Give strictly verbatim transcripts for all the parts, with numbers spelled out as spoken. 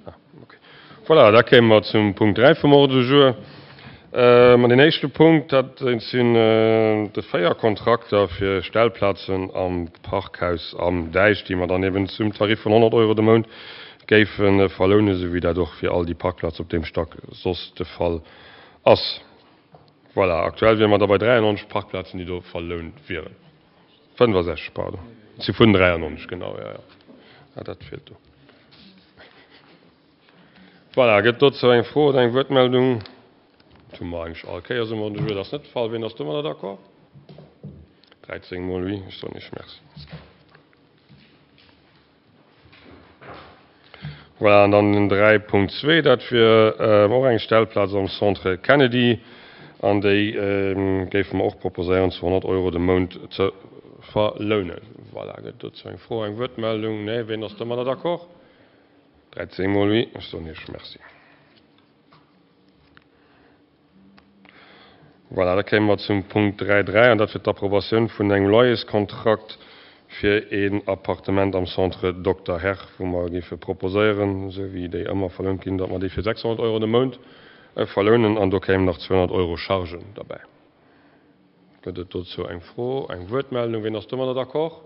Ah, okay. Voilà, da kéime mer zum Punkt dräi vum Ordre du jour. An deen éischte Punkt, dat sinn de véier Kontrakter fir Stellplazen am Parkhaus am Däich, déi mer dann eben zum Tarif vun honnert Euro de Mount géife verlounen, esou wéi dat och fir all déi Parkplaze op deem Stack soss de Fall ass. Voilà, aktuell wiere mer da bei dräiannonzeg Parkplazen, déi do verlount wieren. fënnefasechzeg, pardon. Et si vun dräiannonzeg, genau, jo, jo. Ah, dat feelt do. Voilà, gëtt dozou eng Fro oder eng Wuertmeldung? Dat hu mer eigentlech all Kéiers um Ordre du jour. Dat ass net de Fall. Wien ass domadder d'accord? dräizéng mol oui. Ech soen Iech Merci. Voilà, an dann den dräi Punkt zwee, dat wier och eng Stellplaz am Centre Kennedy. An déi géife mer och proposéieren, zu honnert Euro de Mount ze verlounen. Voilà, gëtt dozou eng Fro, eng Wuertmeldung? Nee. Wien ass domadder d'accord? dräizéng mol oui. Ech soen Iech Merci. Voilà, da kéime mer zum Punkt dräi dräi, an dat wier d'Approbatioun vun engem Loyerskontrakt fir een Appartement am Centre Dokter Herr, wou mer géife proposéieren, esou wéi déi ëmmer verlount ginn, datt mer déi fir sechshonnert Euro de Mount verlounen, an do kéimen nach zweehonnert Euro Chargen derbäi. Gëtt et dozou eng Fro, eng Wuertmeldung? Wien ass domadder d'accord?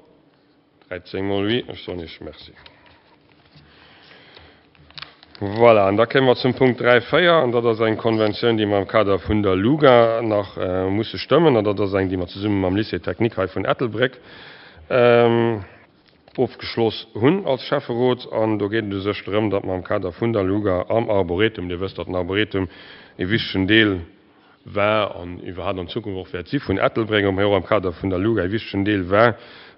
Dräizéng mol oui. Ech soen Iech Merci. Voilà, an da kéime mer zum Punkt dräi véier, an dat ass eng Konventioun, déi mer am Kader vun der LUGA nach musse stëmmen, an dat ass eng, déi mer zesumme mam Lycée technique hei vun Ettelbréck ofgeschloss hunn als Schäfferot. An do geet et u sech drëm, datt mer am Kader vun der LUGA am Arboretum, Dir wësst, datt den Arboretum e wichtegen Deel war an iwwerhaapt an Zukunft och wäert si vun Ettelbréck, mee och am Kader vun der LUGA e wichtegen Deel war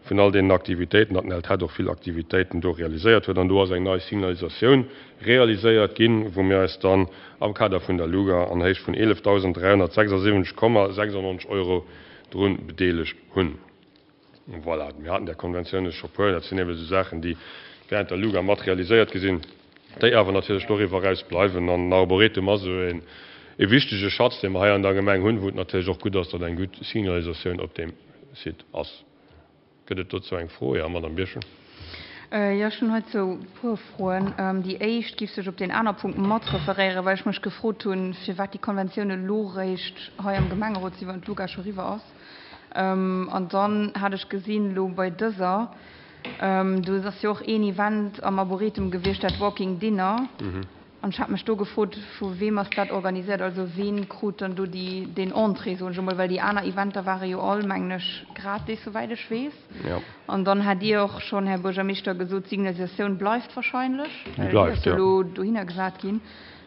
vun all deenen Aktivitéiten, datt den LTEtt och vill Aktivitéiten do realiséiert huet. An do ass eng nei Signalisatioun realiséiert ginn, wou mir eis dann am Kader vun der LUGA an Héicht vun eelefdausend dräihonnertsechsasiwwenzeg Komma sechsundneunzeg Euro drun bedeelegt hunn. Voilà, mir haten där Konventioune scho puer. Dat sinn eben esou Saachen, déi während der LUGA mat realiséiert gi sinn, déi awer natierlech doriwwer eraus bleiwen. An den Arboretum ass esou een e wichtege Schatz, dee mer hei an der Gemeng hunn, wou et natierlech och gutt ass, datt eng gutt Signalisatioun op deem Site ass. Gëtt et dozou eng Fro? Jo, Madame Birchen. Jo, ech hunn heizou e puer Froen. Déi éischt giff sech op deen aner Punkt mat referéieren, well ech mech gefrot hunn, firwat déi Konventioun elo réischt hei am Gemengerot sinn, wann d'LUGA scho riwwer ass. An dann hat ech gesinn, elo bei dëser, do ass jo och een Event am Arboretum gewiescht, dat Walking Dinner. An ech hat mech do gefrot, vu weem ass dat organiséiert, also ween krut dann do déi, deen Entrée, soen ech emol, well déi aner Eventer ware jo all, mengen ech, gratis, souwäit ech weess. An dann hat Dir och schonn, Här Buergermeeschter, gesot, d'Signalisatioun bleift wahrscheinlech, well déi ass jo elo dohinner gesat ginn.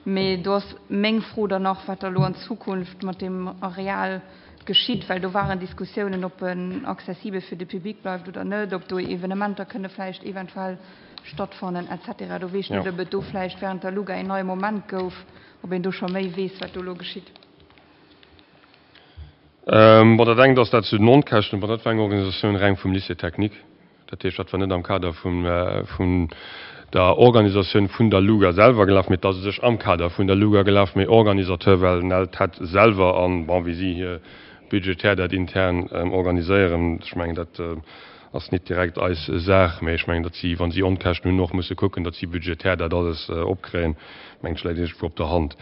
Mee do ass meng Fro dann nach, wat da elo an Zukunft mat deem Areal geschitt, well do waren Diskussiounen, ob en accessibel fir de Public bleift oder net, ob do Evenementer kënne vläicht eventuell stattfannen et cetera. Do weess ech net, ob et do vläicht während der LUGA een neie Moment gouf, ob een do scho méi weess, wat do elo geschitt. Bon, dat engt ass dat zu den Onkäschten. Bon, dat war eng Organisatioun reng vum Lycée technique. Dat heescht, dat war net am Kader vun der Organisatioun vun der LUGA selwer gelaf, mee et ass u sech am Kader vun der LUGA gelaf, mee Organisateur war den LTEtt selwer an, bon, wéi si hir budgetär dat intern organiséieren, ech mengen, dat ass nit direkt eis Saach, mee ech mengen, datt si, wa si Onkäschten hunn, och musse kucken, datt si budgetär dat alles opkréien. Mengen ech, läit iergendwou op der Hand.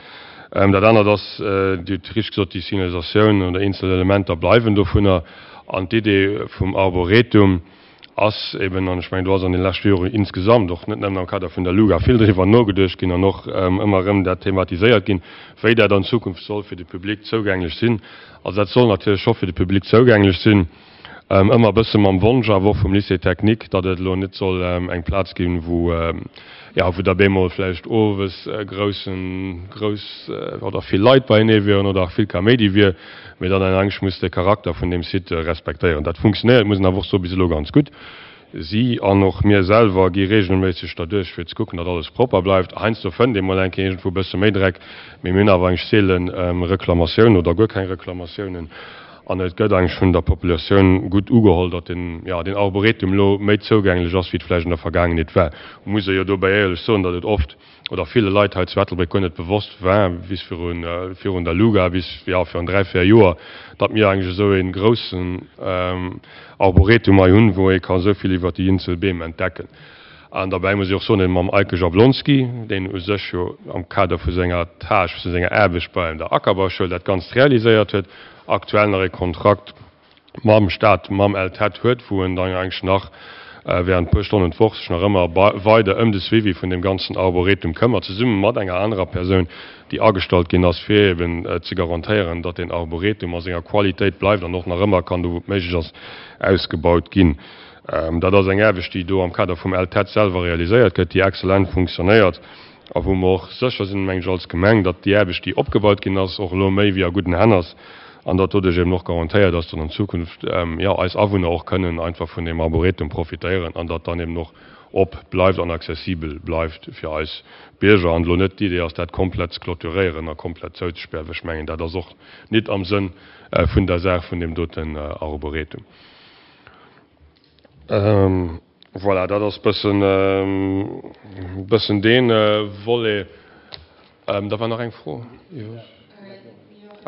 Dat anert ass, Dir hutt richteg gesot, déi Signalisatioun oder eenzel Elementer bleiwen dovunner. An d'Idee vum Arboretum ass eben, an ech mengen, do ass an de leschte Joren insgesamt, och net nëmmen am Kader vun der LUGA, vill driwwer nogeduecht ginn an och ëmmer erëm dat thematiséiert ginn, wéi dat an Zukunft soll fir de Public zougänglech sinn. Also dat soll natierlech scho fir de Public zougänglech sinn, ëmmer e bësse mam Wonsch awer och vum Lycée technique, datt et elo net soll eng Plaz ginn, wou, jo, wou da bemol vläicht owes groussen, grouss oder vill Leit beienee wieren oder och vill Kaméidi wier, mee datt een eigentlech muss de Charakter vun deem Site respektéieren. Dat funktionéiert, muss een awer och soen, bis elo ganz gutt. Si an och mir selwer gi regelméisseg derduerch, fir ze kucken, datt alles propper bleift. Heiansdo fënnt ee mol eng Kéier iergendwou e bësse méi Dreck, mee mir hunn awer eigentlech seele Reklamatiounen oder guer keng Reklamatiounen. An et gëtt eigentlech vun der Populatioun gutt ugeholl, datt den, jo, deen Arboretum elo méi zougänglech ass, wéi et vläicht an der Vergaangenheet war. Muss ee jo dobäi éierlech soen, datt et oft oder ville Leit hei zu Ettelbréck guer net bewosst war, bis virun, virun der LUGA, bis, jo, virun dräi, véier Joer, datt mir eigentlech esou ee groussen Arboretum hei hunn, wou ee ka esou vill iwwert déi eenzel Beem entdecken. An derbäi muss ech och soen, datt mam Eike Jablonski, deen u sech jo am Kader vu senger Tâche, vu senger Aarbecht bei der Ackerbauschoul dat Ganzt realiséiert huet, aktuell nach e Kontrakt mam Stat, mam LTEtt huet, wou en dann eigentlech nach während e puer Stonnen d'Woch sech nach ëmmer weider ëm de Suivi vun deem ganzen Arboretum këmmert, zesumme mat enger anerer Persoun, déi agestallt ginn ass, fir eben ze garantéieren, datt deen Arboretum a senger Qualitéit bleift an och nach ëmmer kann, do wou et méiglech ass, ausgebaut ginn. Dat ass eng Aarbecht, déi do am Kader vum LTEtt selwer realiséiert gëtt, déi exzellent funktionéiert a wou mer och sécher sinn, mengen ech, als Gemeng, datt déi Aarbecht, déi opgebaut ginn ass, och elo méi wéi a gudden Hänn ass an datt doduerch eben och garantéiert ass, datt an Zukunft, jo, eis Awunner och kënnen einfach vun deem Arboretum profitéieren an datt dann eben och op bleift an accessibel bleift fir eis Bierger an elo net d'Idee ass, dat komplett ze clôturéieren a komplett zouzespären, well ech mengen, dat ass och nit am Sënn vun der Saach vun deem doten Arboretum. Voilà, dat ass bëssen, bëssen dee Volet. Da war nach eng Fro.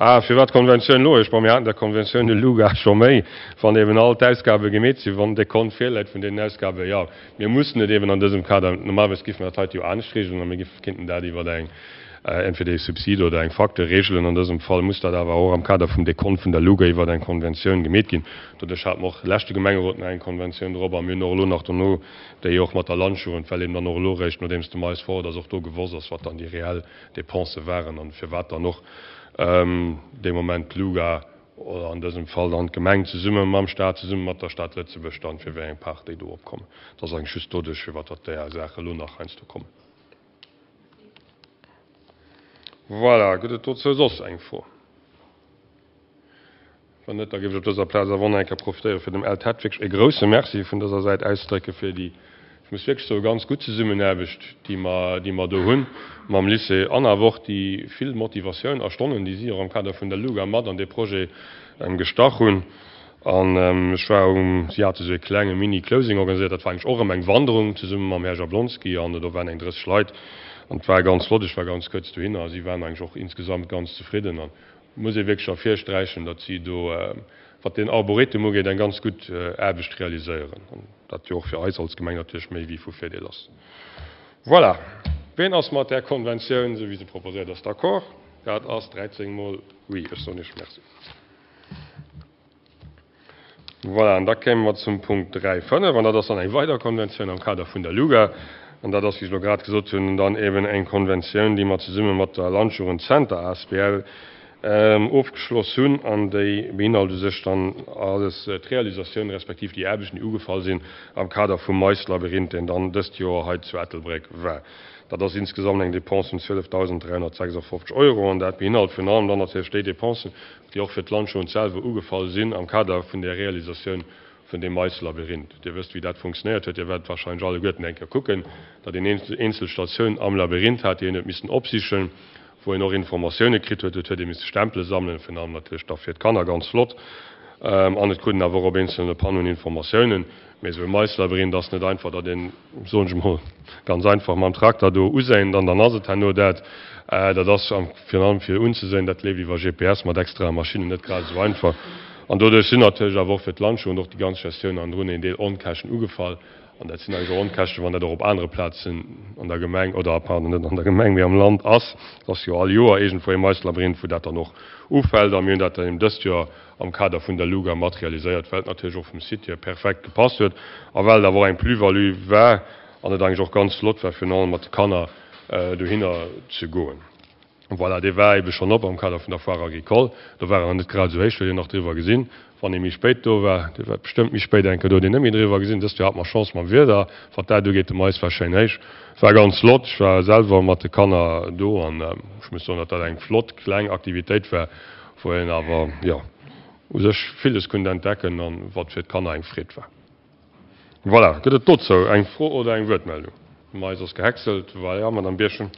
Ah, firwat d'Konventioun elo? Ech, bon, mir haten der Konventioun elo gar scho méi, wann eben all d'Ausgabe gemeet sinn, wann de Kont virläit vun deenen Ausgaben. Jo, mir mussen et eben an dësem Kader, normalerweis géife mer dat heite jo anescht regeln a mir géife kéinten dat iwwer eng, entweder ee Subsid oder eng Facture regelen. An dësem Fall muss dat awer och am Kader vum Dekont vun der LUGA iwwer eng Konventioun gemeet ginn. Doduerch hate mer och leschte Gemengerot nach eng Konventioun drop a mir hunn och elo nach dono déi och mat der Landjugend, well eben dann och elo eréischt, nodeems de Mais fort ass, och do gewosst ass, wat dann déi reell Dépensë waren an firwat dann och dee Moment d'LUGA oder an dësem Fall dann d'Gemeng zesumme mam Stat, zesumme mat der Stad Lëtzebuerg dann, fir wéi eng Part déi do opkommen. Dat ass eigentlech just doduerch, firwat datt déi Saache elo nach heiansdo kommen. Voilà, gëtt et dozou soss eng Fro? Wann net, da géif ech op dëser Plaz awer och nach eng Kéier profitéieren, fir dem LTEtt wierklech e grouse Merci vun dëser Säit auszedrécke fir déi, ech muss wierklech soen, ganz gutt Zesummenaarbecht, déi mer, déi mer do hu mam Lycée an awer och déi vill Motivatioun a Stonnen, déi si och am Kader vun der LUGA mat an dee Projet gestach hunn. An ech war um, si hate sou e klenge Mini-Closing organiséiert, dat war eigentlech och erëm eng Wanderung zesumme mam Här Jablonski an do waren eng drësseg Leit an et war ganz flott. Ech war ganz kuerz dohinner a si waren eigentlech och insgesamt ganz zefridden an et muss ee wierklech ervirsträichen, datt si do, wat deen Arboretum ugeet, eng ganz gutt Aarbecht realiséieren an dat jo och fir eis als Gemeng natierlech méi wéi vu Virdeel ass. Voilà. Ween ass mat där Konventioun, esou wéi se proposéiert ass, d'accord? Dat ass dräizéng mol oui. Ech soen Iech Merci. Voilà, an da kéime mer zum Punkt dräi fënnef, an dat ass dann eng weider Konventioun am Kader vun der LUGA. An dat ass, wéi ech elo grad gesot hunn, dann eben eng Konventioun, déi mer zesumme mat der Landjugendzenter asbl ofgeschloss hunn. An déi beinhalt u sech dann alles d'Realisatioun respektiv déi Aarbechten, déi ugefall sinn am Kader vum Maislabyrinth, deen dann dëst Joer hei zu Ettelbréck war. Dat ass insgesamt eng Dépense vun zwielefdausend dräihonnertsechsafofzeg Euro an dat beinhalt virun allem dann natierlech déi Dépensen, déi och fir d'Landjugend selwer ugefall sinn am Kader vun der Realisatioun vun deem Maislabyrinth. Dir wësst, wéi dat funktionéiert huet. Dir wäert wahrscheinlech alleguerten eng Kéier kucken, datt een eenzel Statioun am Labyrinth hat, déi een huet missen opsichen, wou een och Informatioune kritt huet. Et huet ee misse Stempele sammelen, virun allem natierlech da fir d'Kanner ganz flott. An et krut een awer och op eenzelne Panneauen Informatiounen. Mee esou e Maislabyrinth ass net einfach, datt een, soen ech emol ganz einfach, mam Trakter do uséint an dann ass et herno dat. Dat ass virun allem fir unzeséinen, dat leeft iwwer G P S mat extrae Maschinnen, net grad esou einfach. An doduerch sinn natierlech awer och fir d'Landjugend och déi ganz Gestioun hannendrun een Deel Onkäschten ugefall. An dat sinn eigentlech och Onkäschten, wann dat och op anere Plazen an der Gemeng, oder pardon, net an der Gemeng, mee am Land ass. Et ass jo all Joer iergendwou e Maislabyrinth, wou dat dann och ufält. A mir hunn dat dann eben dëst Joer am Kader vun der LUGA materialiséiert, well et natierlech och vum Site hier perfekt gepasst huet a well et awer och eng Plus-value war an et eigentlech och ganz flott war, virun allem mat de Kanner dohinner ze goen. Voilà, dee war ebe schonn op am Kader vun der Foire agricole. Do war en nach net grad esou héich, huet een nach driwwer gesinn. Wann ee méi spéit do war, dee war bestëmmt méi spéit eng Kéier do, huet een net méi driwwer gesinn. Dëst Joer hate mer Chance mam Wieder, wat dat ugeet. De Mais war schéin héich, war ganz flott. Ech war selwer mat de Kanner do an ech muss soen, datt dat eng flott kleng Aktivitéit war, wou een awer, jo, u sech villes konnt entdecken an wat fir d'Kanner eng Freed war. Voilà, gëtt et dozou eng Fro oder eng Wuertmeldung? Mais ass gehäckselt. Voilà, Madame Birchen.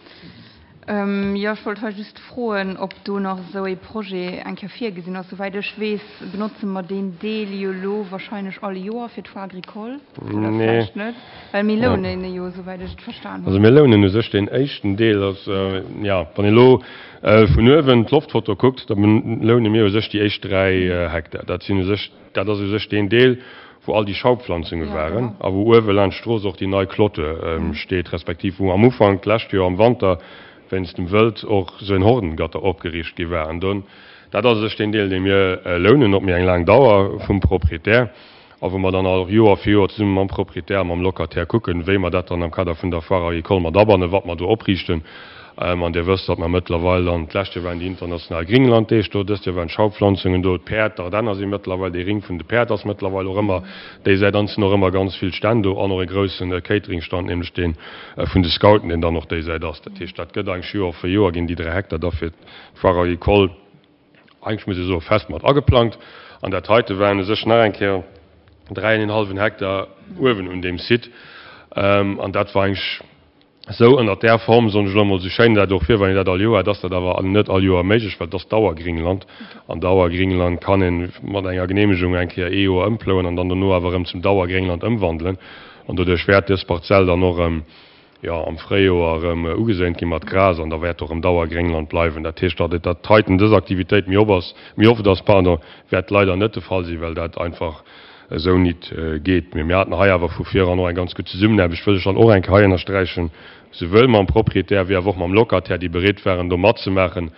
Jo, ech wollt hei just froen, ob do nach esou ee Projet eng Kéier virgesinn ass. Souwäit ech weess, benotze mer deen Deel jo elo wahrscheinlech all Joer fir d'Foire agricole, oder vläicht net? Well mir lounen e jo, souwäit ech et verstan hunn. Also mir lounen u sech deen éischten Deel. Also, jo, wann een elo vun uewen d'Loftfoto kuckt, da loune mir u sech déi éischt dräi Hektar. Dat sinn u sech, dat ass u sech deen Deel, wou all déi Schaupflanzunge waren a wou uewe laanscht d'Strooss och déi nei Clôture steet, respektiv wou am Ufank d'lescht Joer am Wanter wéinst dem Wëld och esou en Hordengatter opgeriicht gi war. An do, dat ass u sech deen Deel, dee mir lounen op méi eng laang Dauer vum Proprietär a wou mer dann och Joer fir Joer zesumme mam Proprietär a mam Locataire kucken, wéi mer dat dann am Kader vun der Foire agricole mat abannen, wat mer do opriichten. An Dir wësst, datt mer mëttlerweil dann, d'lescht Joer waren déi international Gringlanddeeg do, dëst Joer waren d'Schaupflanzungen do, d'Päerd, d'Ardenner si mëttlerweil, dee Ring vun de Päerd ass mëttlerweil och ëmmer déi Säit, an et sinn och ëmmer ganz vill Stänn do an och e grousse Cateringstand, nämlech dee vun de Scouten, deen dann och déi Säit ass. Dat heescht, dat gëtt eigentlech Joer fir Joer ginn déi dräi Hektar da fir d'Foire agricole, eigentlech muss ech soen, fest mat ageplangt. An dat heite waren u sech nach eng Kéier dräi an een hallwen Hektar uewen un deem Site. An dat war eigentlech esou ënnert där Form, soen ech elo emol, esou schéin dat och wier, wann een dat all Joer hätt, ass dat awer net all Joer méiglech, well et ass Dauergringland. An Dauergringland kann ee mat enger Geneemegung eng Kéier ee Joer ëmplouen an dann dono awer erëm zum Dauergréngland ëmwandelen. An doduerch wäert dës Parzell dann och erëm, jo, am Fréijoer erëm ugeséint gi mat Gras an da wäert och erëm Dauergréngland bleiwen. Dat heescht, datt et dat heiten, dës Aktivitéit méi op ass, méi oft ass, pardon, wäert leider net de Fall sinn, well dat einfach esou nit geet. Mee mir haten hei awer vu viran och eng ganz gutt Zesummenaarbecht, wëll ech dann och eng Kéier hei ënnersträichen, souwuel mam Proprietär wéi awer och mam Locataire, déi bereet waren, do matzemaachen,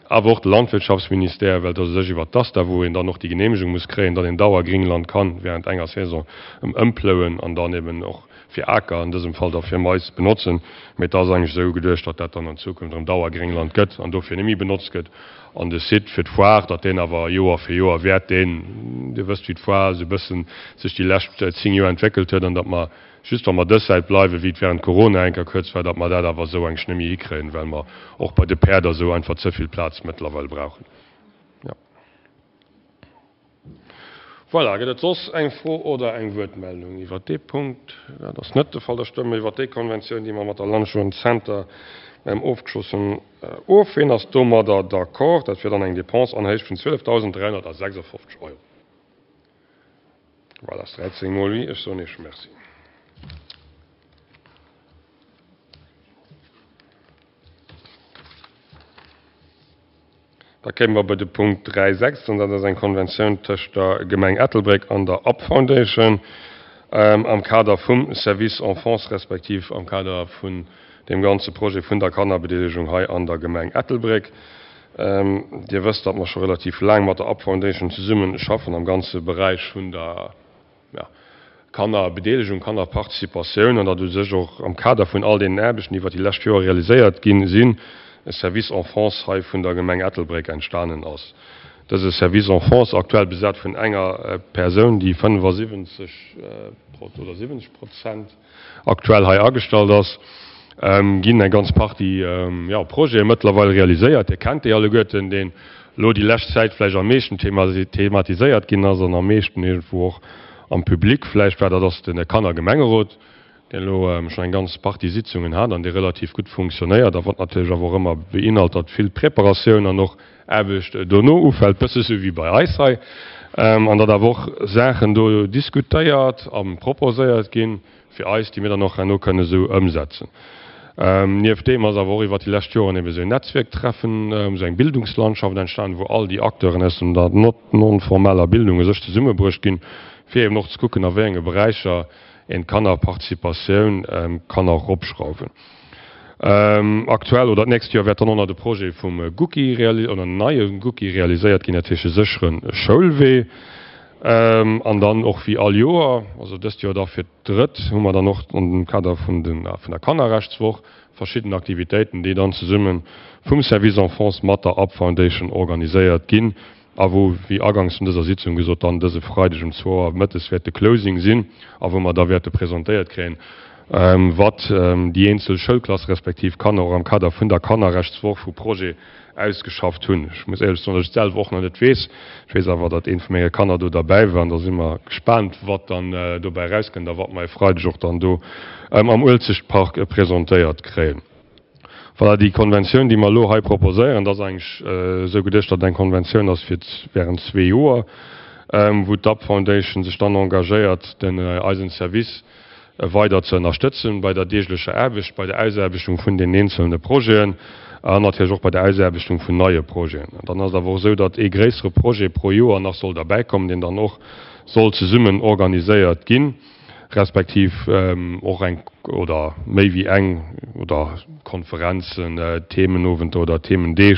awer och de Landwirtschaftsministère, well et ass u sech iwwert d'ASTA, wou een dann och déi Geneemegung muss kréien, datt een Dauergringland kann während enger Saison ëmplouen an dann eben och fir Aker, an dësem Fall da fir Mais, benotzen. Mee et ass eigentlech esou geduecht, datt dat dann an Zukunft erëm Dauergréngland gëtt an dofir net méi benotzt gëtt. An de Site fir d'Foire, datt deen awer Joer fir Joer wäert deen, Dir wësst wéi d'Foire esou e bëssen sech déi lescht zéng Joer entwéckelt huet, an datt mer just wa mer dës Säit bleiwen, wéi et während Corona eng Kéier kuerz war, datt mer dat awer esou eigentlech net méi hikréien, well mer och bei de Päerd a sou einfach ze vill Plaz mëttlerweil brauchen. Jo. Voilà, gëtt et soss eng Fro oder eng Wuertmeldung iwwert dee Punkt? Dat ass net de Fall. Da stëmme mer iwwert déi Konventioun, déi mer mat der Landjugend Center ofgeschloss hunn, of. Ween ass domadder d'accord? Dat wier dann eng Dépense an Héicht vun zwielefdausend dräihonnertsechsafofzeg Euro. Voilà, ass dräizéng mol oui. Ech soen Iech Merci. Da kéime mer bei de Punkt dräi sechs, an dat ass eng Konventioun tëscht der Gemeng Ettelbréck an der up Foundation am Kader vum Service Enfance respektiv am Kader vun deem ganze Projet vun der Kannerbedeelegung hei an der Gemeng Ettelbréck. Dir wësst, datt mer scho relativ laang mat der up Foundation zesumme schaffen am ganze Beräich vun der Kannerbedeelegung, Kannerparticipatioun, an datt u sech och am Kader vun all deenen Aarbechten, déi iwwer déi lescht Joer realiséiert gi sinn, e Service Enfance hei vun der Gemeng Ettelbréck entstanen ass. Dëse Service Enfance, aktuell besat vun enger Persoun, déi fënnefasiwwenzeg oder siwwenzeg Prozent aktuell hei agestallt ass, ginn eng ganz Partie, jo, Projete mëttlerweil realiséiert. Dir kennt déi alleguerten, deen elo déi lescht Zäit vläicht am meeschten thematiséiert ginn ass an am meeschten iergendwou och am Public vläicht war, dat ass de Kannergemengerot, deen elo schonn eng ganz Partie Sitzungen hat an dee relativ gutt funktionéiert a wat natierlech awer och ëmmer beinhalt, datt vill Preparatioun an och Aarbecht dono ufält, bësse sou wéi bei eis hei, an datt awer och Saachen do diskutéiert a proposéiert ginn fir eis, déi mir dann och herno kënne sou ëmsetzen. Nieft deem ass awer och iwwert déi lescht Joren ebe sou en Netzwierktreffen, sou eng Bildungslandschaft entstanen, wou all déi Acteuren aus der non-formeller Bildung u sech zesummebruecht ginn, fir eben och ze kucken, a wéi enge Beräicher een d'Kannerparticipatioun kann och eropschrauwen. Aktuell oder d'nächst Joer wäert dann och nach de Projet vum Gucci oder en neie Gucci realiséiert ginn, dat heescht e séchere Schoulwee. An dann och wéi all Joer, also dëst Joer da fir d'drëtt, hu mer dann och am Kader vun der Kannerrechtswoch verschidden Aktivitéiten, déi dann zesumme vum Service Enfance mat der up Foundation organiséiert ginn a wou, wéi agangs vun dëser Sitzung gesot, dann dëse Freideg um zwou Auer mëttes wäert de Closing sinn a wou mer da wäerte presentéiert kréien, wat déi eenzel Schoulklasse respektiv Kanner och am Kader vun der Kannerrechtswoch vu Projet ausgeschafft hunn. Ech muss éierlech soen, datt ech et selwer och nach net weess. Ech weess awer, datt eent vu menge Kanner do derbäi war an da si mer gespaant, wat dann dobäi erauskënnt a wat mer e Freideg och dann do am Uelzechtpark presentéiert kréien. Voilà, déi Konventioun, déi mer elo hei proposéieren, dat ass eigentlech esou geduecht, datt et eng Konventioun ass fir während zwee Joer, wou d'UP Foundation sech dann engagéiert, den eisen Service weider ze ënnerstëtzen bei der deeglecher Aarbecht, bei der Ausaarbechtung vun den eenzelne Projeten an natierlech och bei der Ausaarbechtung vun neie Projeten. An dann ass et awer och esou, datt ee gréissere Projet pro Joer nach soll derbäikommen, deen dann och soll zesummen organiséiert ginn, respektiv och eng oder méi wéi eng oder Konferenzen, Themenowenter oder Themendeeg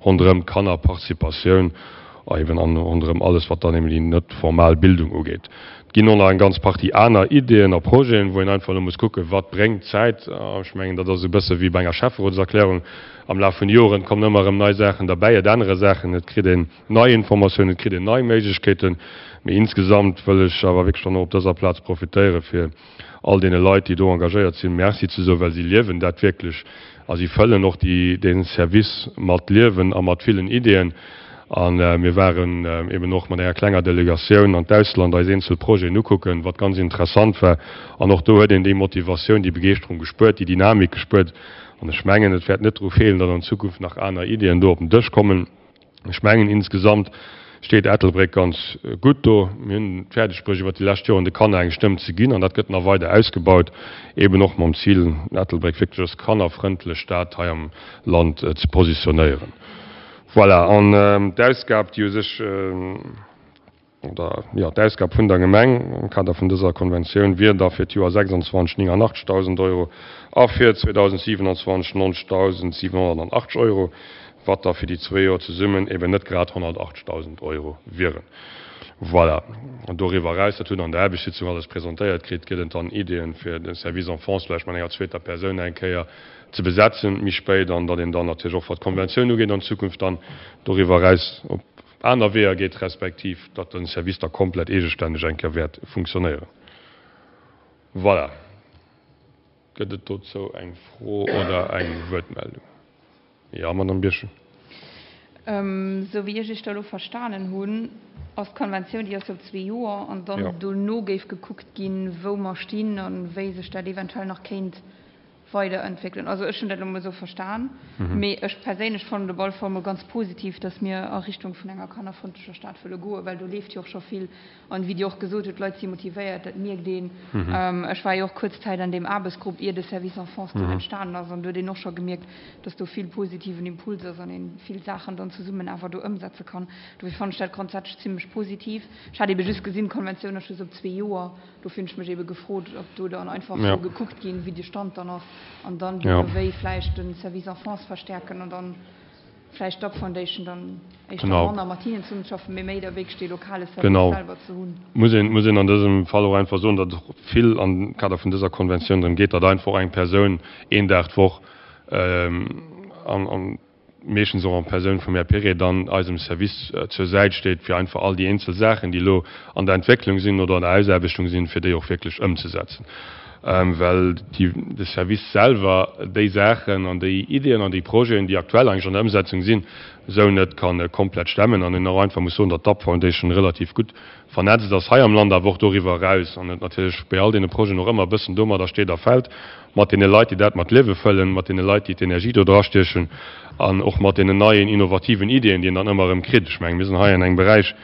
ronderëm d'Kannerparticipatioun a eben an ronderëm alles, wat dann eben déi net formal Bildung ugeet. Et ginn och nach eng ganz Partie aner Ideeën a Projeten, wou een einfach elo muss kucken, wat bréngt d'Zäit. Ech mengen, dat ass e bësse wéi bei enger Schäfferotserklärung, Am Laf vun de Joren kommen ëmmer erëm nei Saachen derbäi, et ännere Saachen, et kritt een nei Informatiounen, et kritt een nei Méiglechkeeten. Mee insgesamt wëll ech awer wierklech dann och op dëser Plaz profitéieren, fir all deene Leit, déi do engagéiert sinn, Merci ze soen, well si liewen dat wierklech a si fëllen och déi, dee Service mat Liewen a mat villen Ideeën. A mir waren eben och mat enger klenger Delegatioun an d'Ausland eis eenzel Projeten ukucken, wat ganz interessant war. An och do huet een déi Motivatioun, déi Begeeschterung gespuert, déi Dynamik gespuert. An ech mengen, et wäert net dru feelen, datt an Zukunft nach aner Ideeën do op den Dësch kommen. Ech mengen, insgesamt steet Ettelbréck ganz gutt do. Mir hunn et fäerdegbruecht, iwwert déi lescht Joren de Kanner eng Stëmm ze ginn, an dat gëtt nach weider ausgebaut, eben och mam Zil, Ettelbréck wierklech als kannerfrëndlech Stad hei am Land ze positionéieren. Voilà, an d'Ausgab, déi u sech, oder jo, d'Ausgab vun der Gemeng am Kader vun dëser Konventioun wier da fir d'Joer sechsundzwanzeg néngannachtzegtausend Euro a fir zweedausendsiewenundzwanzeg neunzigtausendsiewenhunnertachtzeg Euro, wat da fir déi zwee Joer zesummen eben net grad honnertachtzegtausend Euro wieren. Voilà. An doriwwer eraus, dat hutt Der an der Aarbechtssitzung alles presentéiert kritt, gëtt et dann Ideeën, fir de Service Enfance vläicht mat enger zweeter Persoun eng Kéier ze besetzen méi spéit an datt een dann natierlech och, wat d'Konventioun ugeet, an Zukunft dann doriwwer eraus op aner Weeër geet, respektiv datt de Service da komplett eegestänneg eng Kéier wäert funktionéieren. Voilà. Gëtt et dozou eng Fro oder eng Wuertmeldung? Jo, Madamm Birchen. Esou wéi ech Iech dat elo verstanen hunn, ass d'Konventioun, déi ass jo op zwee Joer, an dann dono géif gekuckt ginn, wou mer stinn a wéi sech dat eventuell nach kéint weiderentwéckelen. Also ech hunn dat elo mol esou verstan, mee ech perséinlech fannen et op alle Fall mol ganz positiv, dass mir a Richtung vun enger kannerfrëndlecher Stad wëlle goen, well do leeft jo och scho vill. An wéi Dir och gesot hutt, d'Leit si motivéiert, dat mierkt een. Ech war jo och kuerz Zäit an deem Aarbechtsgrupp, ier de Service Enfance do entstanen ass, an do huet een och scho gemierkt, dass do vill positiven Impuls ass an ee vill Saachen dann zesummen awer do ëmsetze kann. Dofir fannen ech dat grondsätzlech zimlech positiv. Ech hat ebe just gesinn, d'Konventioun ass just op zwee Joer. Dofir hunn ech mech ebe gefrot, ob do dann einfach soll gekuckt ginn, wéi de Stand dann ass an dann duerno wéi vläicht de Service Enfance verstärken an dann vläicht d'Up Foundation dann éischter manner mat hinnen zesummenzeschaffen, mee méi da wierklech dee lokale Service selwer ze hunn. Muss een, muss een an dësem Fall och einfach soen, datt et och vill am Kader vun dëser Konventioun drëm geet, datt einfach och eng Persoun een Dag d'Woch an, an meeschtens och en Persoun vum Här Perret dann eisem Service zur Säit steet, fir einfach all déi eenzel Saachen, déi elo an der Entwécklung sinn oder an der Ausaarbechtung sinn, fir déi och wierklech ëmzesetzen. Well de Service selwer déi Saachen an déi Ideeën an déi Projeten, déi aktuell eigentlech an der Ëmsetzung sinn, esou net ka komplett stemmen an een och einfach muss soen, datt d'Up Foundation relativ gutt vernetzt ass hei am Land, awer och doriwwer eraus an et natierlech bei all deene Projeten och ëmmer e bëssen domadder steet a fält, mat deene Leit, déi dat mat Liewe fëllen, mat deene Leit, déi d'Energie do drastiechen an och mat deenen neien innovativen Ideeën, déi een dann ëmmer erëm kritt. Ech mengen, mir sinn hei an engem Beräich,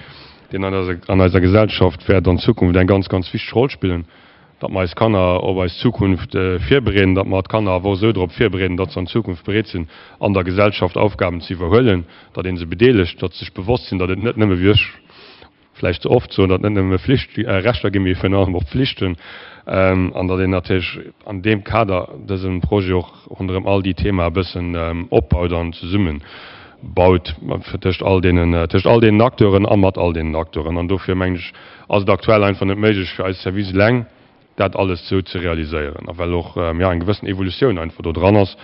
deen an eiser Gesellschaft wäert an Zukunft eng ganz, ganz wichteg Roll spillen, datt mer eis Kanner op eis Zukunft virbereeden, datt mer d'Kanner awer och esou drop virbereeden, datt se an Zukunft bereet sinn, an der Gesellschaft Aufgaben ze iwwerhuelen, datt ee se bedeelegt, datt se sech bewosst sinn, datt et net nëmme, wéi ech vläicht ze oft soen, datt net nëmme Flicht, Rechter ginn, mee virun allem och Pflichten, an datt een natierlech an deem Kader dëse Projet och ronderëm all déi Thema e bëssen opbaut an zesummebaut tëscht all deenen, tëscht all deenen Acteuren a mat all deenen Acteuren. An dofir, mengen ech, ass et aktuell einfach net méiglech fir eis Service eleng dat alles esou ze realiséieren, a well och, jo, eng gewëssen Evolutioun einfach do dran ass.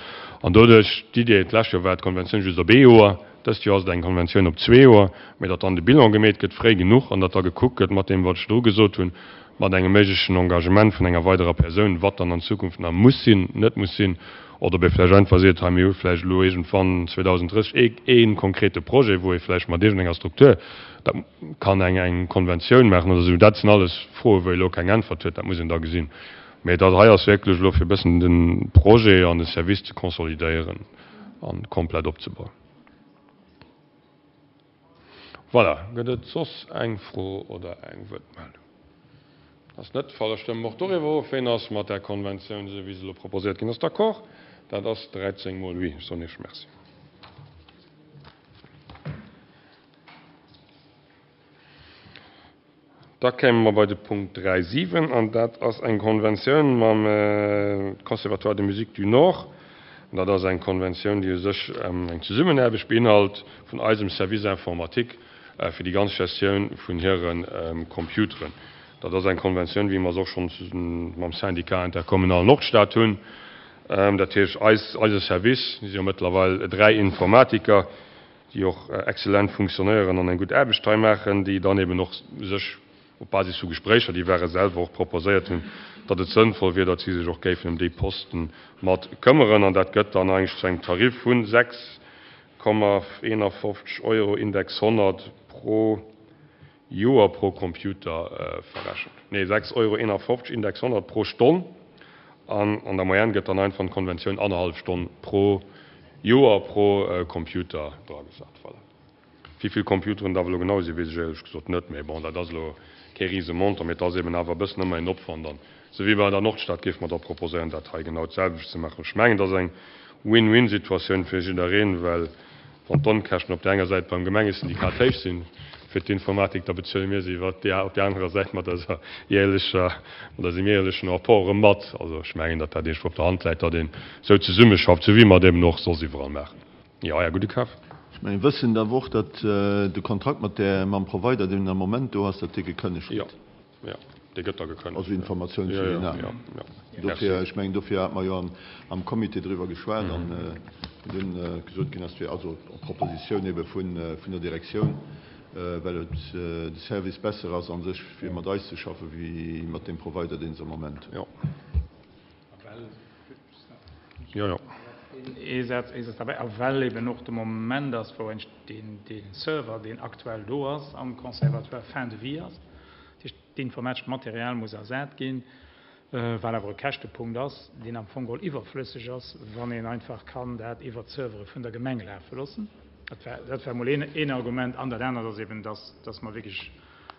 An doduerch d'Idee, d'lescht Joer war d'Konventioun just op ee Joer, dëst Joer ass et eng Konventioun op zwee Joer, mä datt dann de Bilan gemeet gëtt fréi genuch an datt da gekuckt gëtt mat deem, wat ech virdru gesot hunn, mat engem méiglechen Engagement vun enger weiderer Persoun, wat dann an Zukunft nach muss sinn, net muss sinn, oder ob ee vläicht einfach seet, hei mir hu vläicht elo iergendwann zweedausenddrësseg ee konkrete Projet, wou ee vläicht mat iergendenger Struktur dat kann eng eng Konventioun maachen oder esou. Dat sinn alles Froen, wou ee elo keng Äntwert huet, dat muss een da gesinn. Mä dat hei ass wierklech elo fir e bëssen de Projet an de Service ze konsolidéieren a komplett opzebauen. Voilà, gëtt et soss eng Fro oder eng Wuertmeldung? Ass net de Fall. Da stëmme mer och doriwwer of. Ween ass mat där Konventioun, esou wéi se elo proposéiert ginn ass, d'accord? Dat ass dräizéng mol oui. Ech soen Iech Merci. Da kéime mer bei de Punkt dräi siwen, an dat ass eng Konventioun mam Conservatoire de musique du Nord. An dat ass eng Konventioun, déi u sech eng Zesummenaarbecht beinhalt vun eisem Service informatique fir déi ganz Gestioun vun hire Computeren. Dat ass eng Konventioun, wéi mer se och schonn mam Syndicat intercommunal Nordstad hunn. Dat heescht, eis, eise Service, si jo mëttlerweil dräi Informatiker, déi och exzellent funktionéieren an eng gutt Aarbecht hei maachen, déi dann eben och sech op Basis vu Gespréicher, déi ware selwer och proposéiert hunn, datt et sënnvoll wier, datt si sech och géifen ëm déi Posten mat këmmeren. An dat gëtt dann eigentlech zu engem Tarif vu sechs Komma eenafofzeg Euro Index honnert pro Joer pro Computer verrechent. Nee, sechs Euro eenafofzeg Index honnert pro Stonn. An an der Moyenne gëtt dann einfach an d'Konventioun annerhallef Stonn pro Joer pro Computer dragesat. Voilà. Wéi vill Computeren dat elo genau sinn, weess ech éierlech gesot net. Mee bon, dat ass elo kee Risemontant, mee et ass eben awer e bëssen ëmmer een Opwand. An esou wéi bei der Nordstad géife mer da proposéieren, dat hei genau d'selwecht ze maachen. Ech mengen, et ass eng Win-win-Situatioun fir jiddereen, well wann d'Onkäschten op där enger Säit beim Gemengesyndikat héich sinn fir d'Informatik, da bezuele mir se iwwer déi op där anerer Säit mat eiser jäerlecher, mat eisem jäerlechen Apport erëm mat. Also ech mengen, datt dat iergendwou op der Hand läit, datt een esou zesummeschafft, esou wéi mer et eben och soss iwwerall maachen. Jo, Här Gudekaf. Ech mengen, wëssen daf och, datt de Kontrakt mat där, mam Provider, deen am Moment do ass, datt dee gekënnegt gëtt. Jo, jo, dee gëtt da gekënnegt. Also Informatioun fir déi aner. Dofir, ech mengen, dofir hate mer jo am Comité driwwer geschwat an dunn gesot ginn ass, fir, also op Propositioun ebe vun der Direktioun, well et de Service besser ass a sech, fir mat eis ze schaffen, wéi mat deem Provider, deen se am Moment hunn. Jo. Jo, jo. Ee Saz, ee Saz derbäi, a well eben och de Moment ass, wou eigentlech deen, dee Server, deen aktuell do ass am Conservatoire, fin de vie ass, dat heescht, d'informatescht Material muss ersat ginn, wat awer e Käschtepunkt ass, deen am Fong geholl iwwerflësseg ass, wann een einfach kann dat iwwert d'Servere vun der Gemeng lafe loossen. Dat war, dat war emol een, een Argument. An dat anert ass eben, dass, dass mer wierklech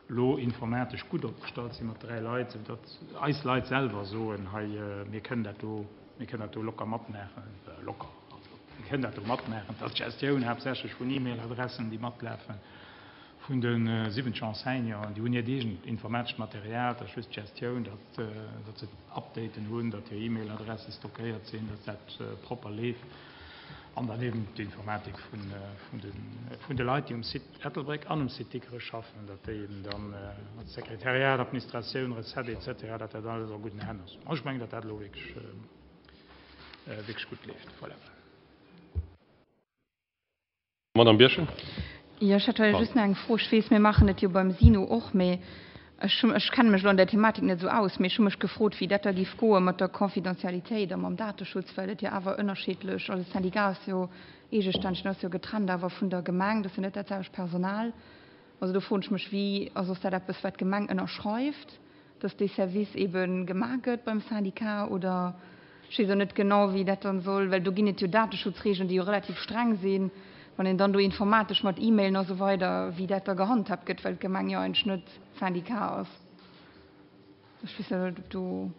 elo informatesch gutt opgestallt si mat dräi Leit, soudatt eis Leit selwer soen, hei, mir kënnen dat do, mir kënnen dat do locker matmaachen, locker, also mir kënnen dat do matmaachen. Et ass d'Gestioun haaptsächlech vun E-Mail-Adressen, déi matlafen, vun de siwwenzeg Enseignanten, déi hunn hiert eegent informatescht Material, dat ass just d'Gestioun, datt, datt se Updaten hunn, datt hir E-Mail-Adresse stockéiert sinn, datt dat propper leeft. An dann eben d'Informatik vun, vun de, vun de Leit, déi um Site Ettelbréck an um Site Dikrech schaffen, datt déi eben dann als Sekretariat, Administratioun, Recette et cetera, datt dat alles a gudden Hänn ass. Ech mengen, datt dat elo wierklech, wierklech gutt leeft. Voilà. Madame Birchen. Jo, ech hätt hei just nach eng Fro. Ech weess, mir maachen et jo beim SINO och, mee ech hu, ech kenne mech elo an där Thematik net esou aus, mee ech hu mech gefrot, wéi dat da géif goe mat der Confidentialitéit a mam Dateschutz, well et jo awer ënnerschiddlech, also de Syndicat ass jo eegestänneg, en ass jo getrennt awer vun der Gemeng, dat ass jo net dat selwecht Personal. Also do froen ech mech, wéi, also ass dat eppes, wat d'Gemeng ënnerschreift? dass dee Service ebe gemaach gëtt beim Syndicat oder ech weess och net genau, wéi dat dann soll, well do ginn et jo Dateschutzregeln, déi jo relativ streng sinn, wann een dann do informatesch mat E-Mailen a sou weider, wéi dat da gehandhaabt gëtt, well d'Gemeng jo eigentlech net Syndicat ass. Ech weess net, ob do,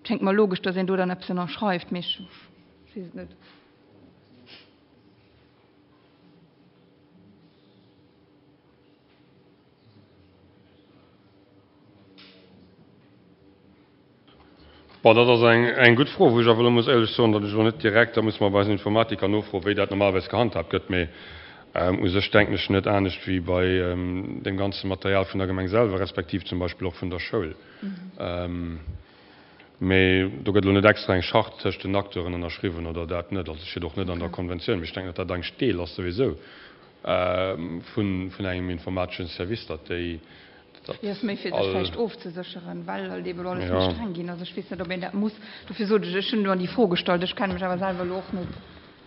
et schéngt mer logesch, dass een do dann eppes ënnerschreift, mee ech weess et net. Bon, dat ass eng, eng gutt Fro, wou ech awer elo muss éierlech soen, datt ech elo net direkt, da muss mer bei eisen Informatiker nofroen, wéi dat normalerweis gehandhaabt gëtt. Mee u sech denken ech net anescht wéi bei deem ganze Material vun der Gemeng selwer, respektiv zum Beispill och vun der Schoul. Mee do gëtt elo net extra eng Charte tëscht den Acteuren ënnerschriwwen oder dat net. Also et steet och net an der Konventioun. Mee ech denken, datt dat eigentlech Deel ass souwisou vun engem informateschen Service, datt déi, datt Jo, ass méi fir sech all. vläicht ofzesécheren, well halt eeben elo alles méi Jo. streng ginn ass. Ech weess net, ob een dat muss. Dofir sot ech, ech hunn elo an déi Fro gestallt. Ech kenne mech awer selwer elo och net,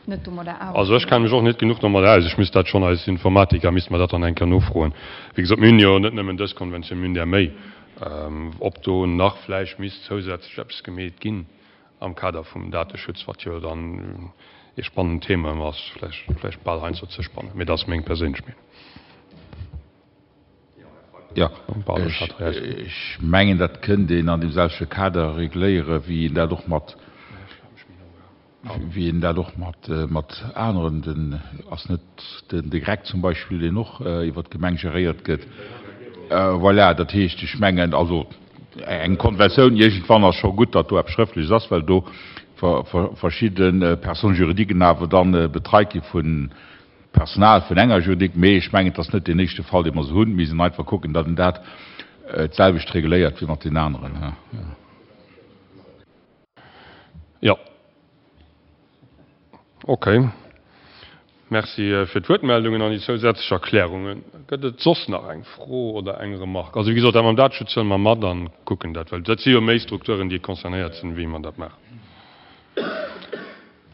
net domadder aus. Also ech kenne mech och net genuch domadder aus. Ech misst dat schonn eis Informatiker, misste mer dat dann eng Kéier nofroen. Wéi gesot, mir hunn jo net nëmmen dës Konventioun, mir hunn där méi. Ob do nach vläicht misst zousätzlech eppes gemeet ginn am Kader vum Dateschutz, wat jo dann ee spannend Thema ëmmer ass, vläicht, vläicht bal heiansdo ze spannend, mee dat ass meng perséinlech Meenung. Jo, ech mengen, dat kënnt een an deem selwechte Kader regléieren, wéi een dat och mat, wéi een dat och mat, mat aneren, den, ass net den, de GREC zum Beispill, deen och iwwert d'Gemeng geréiert gëtt. Voilà, dat heescht, ech mengen, also eng Konventioun iergendwann ass scho gutt, datt do eppes Schrëftleches ass, well do verschidde Personnes juridiques awer dann betreit gi vun Personal vun enger Juridique. Mee ech mengen, et ass net deen éischte Fall, dee mer esou hunn. Mir missten einfach kucken, datt een dat d'selwecht regléiert wéi mat deenen aneren. Jo. Okay. Merci fir d'Wuertmeldungen an déi zousätzlech Erklärungen. Gëtt et soss nach eng Fro oder eng Remarque? Also, wéi gesot, dat mam Dateschutz huele mer mat an kucken dat, well dat si jo méi Strukturen, déi concernéiert sinn, wéi mer dat maachen.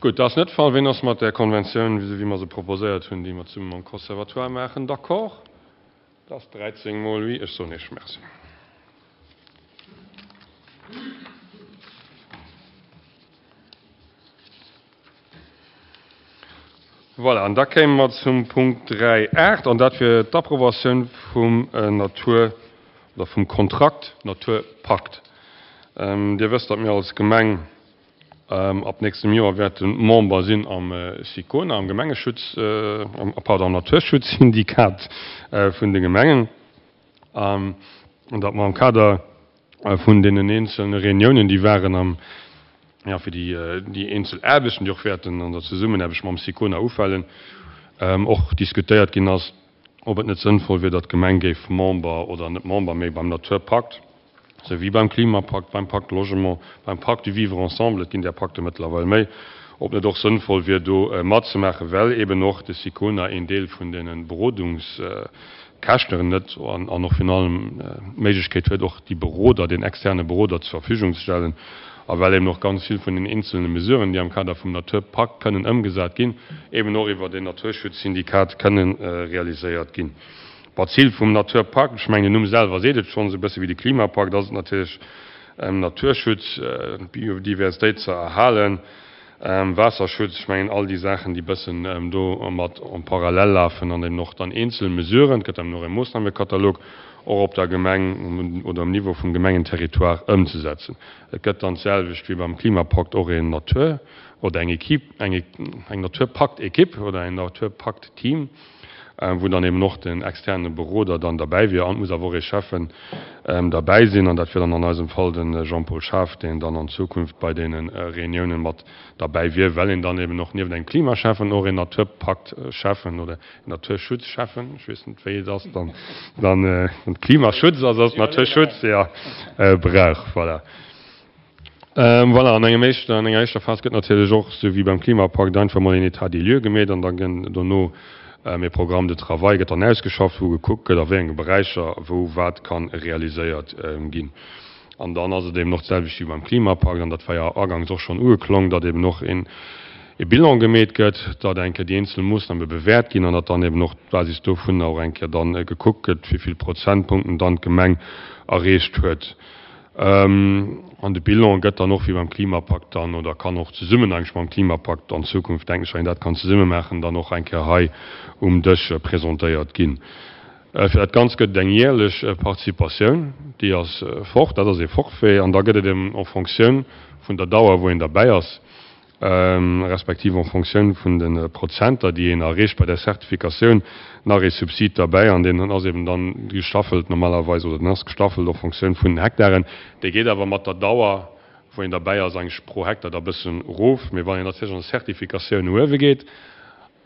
Gutt, dat ass net de Fall. Ween ass mat där Konventioun, esou wéi mer se proposéiert hunn, déi mer zesumme mam Conservatoire maachen, d'accord? Dat ass dräizéng mol oui. Ech soen Iech Merci. Voilà, an da kéime mer zum Punkt dräi aacht, an dat wier d'Approbatioun vum Natur oder vum Kontrakt Naturpakt. Dir wësst, datt mir als Gemeng ab nächstem Joer wäerte Member sinn am SICONA, am Gemengeschutz, am, pardon, am Naturschutzsyndikat vun de Gemengen, an datt mer am Kader vun deenen eenzelne Reuniounen, déi waren am, jo, fir déi, déi eenzel Aarbechten, déi och wäerten an der Zesummenaarbecht mam SICONA ufalen, och diskutéiert ginn ass, ob et net sënnvoll wier, datt d'Gemeng géif Member oder net Member, mee beim Naturpakt, sou wéi beim Klimapakt, beim Pacte Logement, beim Pacte du vivre ensemble, et ginn där Pakte mëttlerweil méi, ob net och sënnvoll wier, do matzemaachen, well eben och de SICONA een Deel vun deene Berodungskäschten net an och virun allem d'Méiglechkeet huet, och déi Beroder, den externe Beroder zur Verfügung ze stellen, a well eben och ganz vill vun den eenzelne Mesuren, déi am Kader vum Naturpakt kënnen ëmgesat ginn, eben och iwwert een Naturschutzsyndikat kënnen realiséiert ginn. Bon, d'Zil vum Naturpakt, ech mengen den Numm selwer seet et schonn, esou e bësse wéi de Klimapakt, ass et natierlech, Naturschutz, d'Biodiversitéit ze erhalen, Waasserschutz, ech mengen all déi Saachen, déi e bëssen do mat en parallèle lafen an eben och dann eenzel Mesuren, et gëtt dann och e Moossnamekatalog, och op der Gemeng oder um Niveau vum Gemengenterritoire ëmzesetzen. Et gëtt dann d'selwecht wéi beim Klimapakt och een Natur oder eng Equipe, eng eng Naturpakt-Equipe oder en Naturpakt-Team, wou dann eben och den externe Beroder dann derbäi wier. An et muss awer och ee Schäffen derbäi sinn, an dat wier dann an eisem Fall de Jean-Paul Schaaf, deen dann an Zukunft bei deene Reuniounen mat derbäi wier, well een dann eben och nieft engem Klimaschäffen och een Naturpakt-Schäffen oder een Naturschutzschäffen, ech weess net wéi et ass, dann, dann Klimaschutz ass, ass Naturschutz, jo, brauch. Voilà. Voilà, an engem éischten, an enger éischter Phas gëtt natierlech och, esou wéi beim Klimapakt, einfach emol een État des lieux gemeet an da gënn dono e Programme de travail gëtt dann ausgeschafft, wou gekuckt gëtt, a wéi enge Beräicher wou wat ka realiséiert ginn. An dann ass et eben och d'selwecht wéi beim Klimapakt, an dat war jo agangs och schonn ugeklong, datt eben och een e Bilan gemeet gëtt, datt eng Kéier déi eenzel Moossname bewäert ginn an datt dann eben och d'Basis dovunner och eng Kéier dann gekuckt gëtt, wéi vill Prozentpunkten dann d'Gemeng erreecht huet. An de Bilan gëtt dann och wéi beim Klimapakt dann, oder kann och zesummen eigentlech mam Klimapakt an Zukunft, denken ech, wann een dat kann zesumme maachen, dann och eng Kéier hei um Dësch presentéiert ginn. Fir dat Ganzt gëtt et eng jäerlech Participatioun, déi ass fort, dat ass ee Forfait, an da gëtt et eben en Fonctioun vun der Dauer, wou een derbäi ass, respektiv en Fonctioun vun de Prozenter, déi een erreecht bei der Zertifikatioun, nach ee Subsid derbäi. An deen ass eben dann gestaffelt normalerweis, oder den ass gestaffelt en Fonctioun vun den Hektaren. Dee geet awer mat der Dauer, wou een derbäi ass, eigentlech pro Hektar da bëssen erof. Mee wann een natierlech an der Zertifikatioun no uewe geet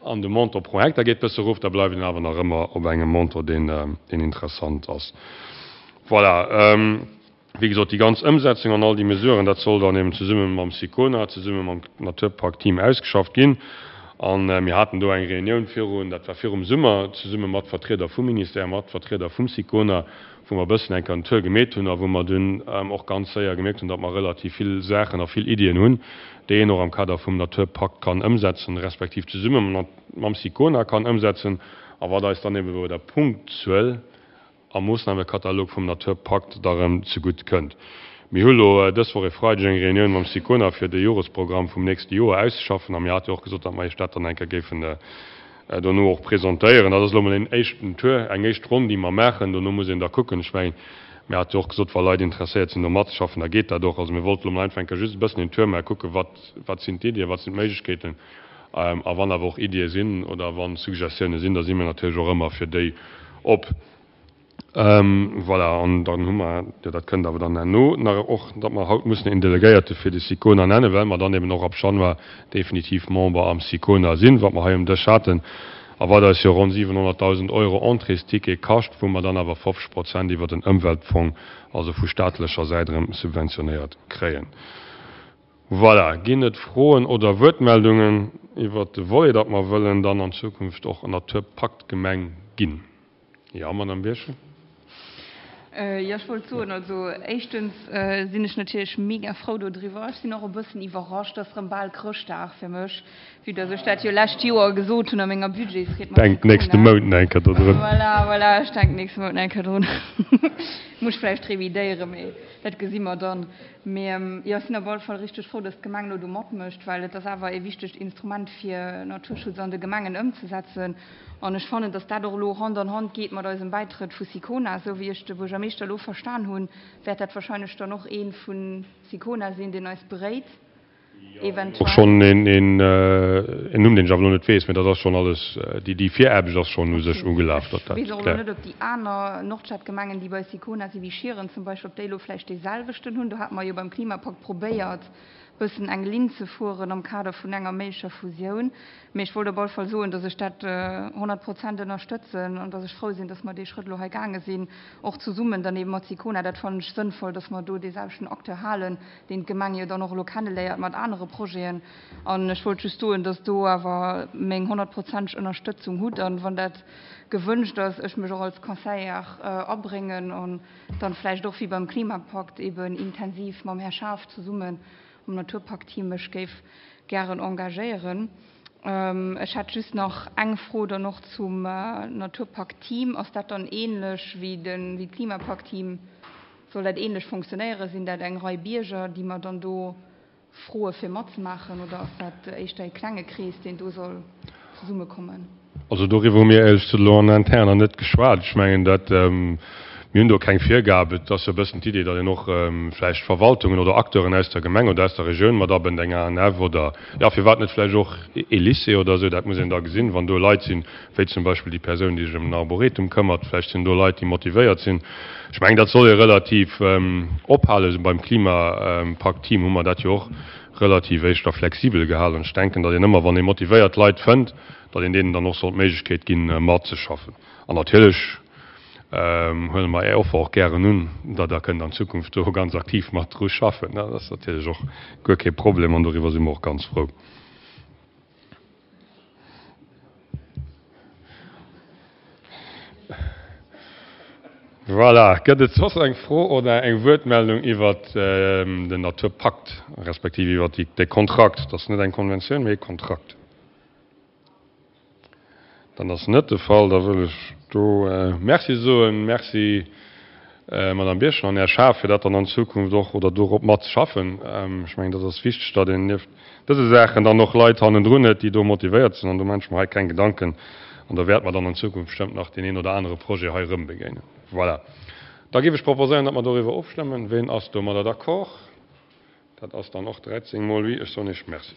an de Montant pro Hektar geet bësse erof, da bleift een awer nach ëmmer op engem Montant, deen interessant ass. Voilà. Wéi gesot, déi ganz Ëmsetzung an all déi Mesuren, dat soll dann eben zesumme mam SICONA, zesumme mam Naturpakt-Team ausgeschafft ginn. A mir haten do eng Reunioun virun, dat war virum Summer, zesumme mat Vertrieder vum Ministère, mat Vertrieder vum SICONA, wou mer e bëssen eng Kéier en Tour gemeet hunn a wou mer dunn och ganz séier gemierkt hunn, datt mer relativ vill Saachen a vill Iddien hunn, déi een och am Kader vum Naturpakt kann ëmsetzen, respektiv zesumme mam SICONA kann ëmsetzen a wat eis dann eben bei der Punktzuel am Moossnamekatalog vum Naturpakt da rëm zegutt kënnt. Mir hu lo dës Woch e Freideg eng Reunioun mam SICONA fir de Joresprogramm vum nächste Joer auszeschaffen a mir hate jo och gesot, datt mer Iech dat dann eng Kéier géifen dono och presentéieren. Dat ass elo mol een éischten Tour, eng éischt Ronn, déi mer maachen. Dono muss een da kucken. Ech mengen, mir hate jo och gesot, wa Leit interesséiert sinn, do matzeschaffen, da geet dat och. Also mir wollten elo mol einfach eng Kéier just e bëssen een Tour maachen, kucken, wat, wat sinn d'Iddien, wat sinn d'Méiglechkeeten. A wann awer och Iddie sinn oder wa Suggestioune sinn, da si mir natierlech och ëmmer fir déi op. Voilà, an dann hu mer, jo dat kënnt awer dann herno nach och, datt mer haut mussen een Delegéierte fir de SICONA nennen, well mer dann eben och ab Januar definitiv Member am SICONA sinn, wat mer hei um Dësch haten a wat eis jo ronn siwenhonnertdausend Euro Entréesticket kascht, wou mer dann awer fofzeg Prozent iwwert den Ëmweltfong, also vu staatlecher Säit erëm subventionéiert kréien. Voilà, ginn et Froen oder Wuertmeldungen iwwert de Volet, datt mer wëllen dann an Zukunft och Naturpaktgemeng ginn? Jo, Madame Birchen. Jo, ech wollt soen, also éischtens sinn ech natierlech mega frou dodriwwer. Ech sinn och e bëssen iwwerrascht, et ass erëm bal Chrëschtdag fir mech, vue dass ech dat jo lescht Joer gesot hunn a menger Budgetsried mat Denk nächste Sicona. Mount nach eng Kéier dodrun. Voilà, voilà, ech denken nächste Mount nach eng Kéier drun. Muss ech vläicht revidéieren, mee dat gesi mer dann. Mee jo, ech sinn op alle Fall richteg frou, dass d'Gemeng elo do matmécht, well et ass awer e wichtegt Instrument fir Naturschutz an de Gemengen ëmzesetzen. An ech fannen, dass dat och elo Hand an Hand geet mat eisem Bäitrëtt vu Sicona. Esou wéi ech de Buergermeeschter elo verstan hunn, wäert dat wahrscheinlech dann och ee vu Sicona sinn, deen eis beréit, Och eventuell. schonn een Numm, deen ech awer elo net weess, mä dat ass schonn alles, déi Viraarbecht ass schonn u sech Okay. ugelaf, Ech datt dat weess och elo kläert. net, ob déi aner Nordstadgemengen, déi bei Sicona sinn, wéi Schieren zum Beispill, ob déi elo vläicht deeselwechten hunn. Do hate mer jo beim Klimapakt probéiert, bëssen eng Linn ze fueren am Kader vun enger méiglecher Fusioun. Mee ech wollt op alle Fall soen, dass ech dat honnert Prozent ënnerstëtzen an dass ech frou sinn, dass mer dee Schrëtt elo hei gaange sinn, och zesummen dann eebe mat Sicona. Dat fannen ech sënnvoll, dass mer do dee selwechten Acteur halen, deen d'Gemeng jo dann och elo kenneléiert mat anere Projeten. An ech wollt just soen, dass do awer meng honnertprozenteg Ënnerstëtzung hutt an, wann dat gewënscht ass, ech mech och als Conseillère abréngen an dann vläicht och wéi beim Klimapakt eeben intensiv mam Här Schaaf zesummen am Naturpaktteam mech géif gären engagéieren. Ech hätt just nach eng Fro dann och zum Naturpaktteam. Ass dat dann ähnlech wéi de wéi d'Klimapaktteam? Soll dat ähnlech fonctionnéieren? Sinn dat eng Rei Bierger, déi mer dann do froe fir matzemaachen, oder ass dat éischter e klenge Krees, deen do soll zesummekommen? Also doriwwer hu mir éierlech gesot elo an interner net geschwat. Ech mengen dat, mir hunn do keng Virgab. Et ass jo e bëssen d'Idee, datt een och vläicht Verwaltungen oder Acteuren aus der Gemeng oder aus der Regioun mat abënnt, eng A N F oder, jo, firwat net vläicht och ee Lycée oder esou. Dat muss een da gesinn, wann do Leit sinn, wéi zum Beispill déi Persoun, déi sech ëm den Arboretum këmmert. Vläicht sinn do Leit, déi motivéiert sinn. Ech mengen, dat soll ee relativ ophalen. Beim Klimapakt-Team hu mer dat jo och relativ éischter flexibel gehalen. Ech denken, datt een ëmmer, wann ee motivéiert Leit fënnt, datt een deenen dann och soll d'Méiglechkeet ginn, matzeschaffen. An natierlech huele mer Är Offer och gären un, datt Der kënnt an Zukunft do ganz aktiv mat dru schaffen. Dat ass natierlech och guer kee Problem an doriwwer si mer och ganz frou. Voilà, gëtt et soss eng Fro oder eng Wuertmeldung iwwert den Naturpakt, respektiv iwwert dee Kontrakt? Dat ass net eng Konventioun, mee e Kontrakt. Dat ass net de Fall. Da wëll ech do Merci soen. Merci, Madame Birchen an Här Schaaf, fir dat dann an Zukunft och oder dorop matzeschaffen. Ech mengen, dat ass wichteg, datt een nieft dëse Saachen dann och Leit hannendrun huet, déi do motivéiert sinn. An do maache ech mer hei keng Gedanken. An da wäerte mer dann an Zukunft bestëmmt nach deen een oder anere Projet hei erëm begéinen. Voilà. Da géif ech proposéieren, datt mer doriwwer ofstëmmen. Ween ass domadder d'accord? Dat ass dann och dräizéng mol oui. Ech soen Iech Merci.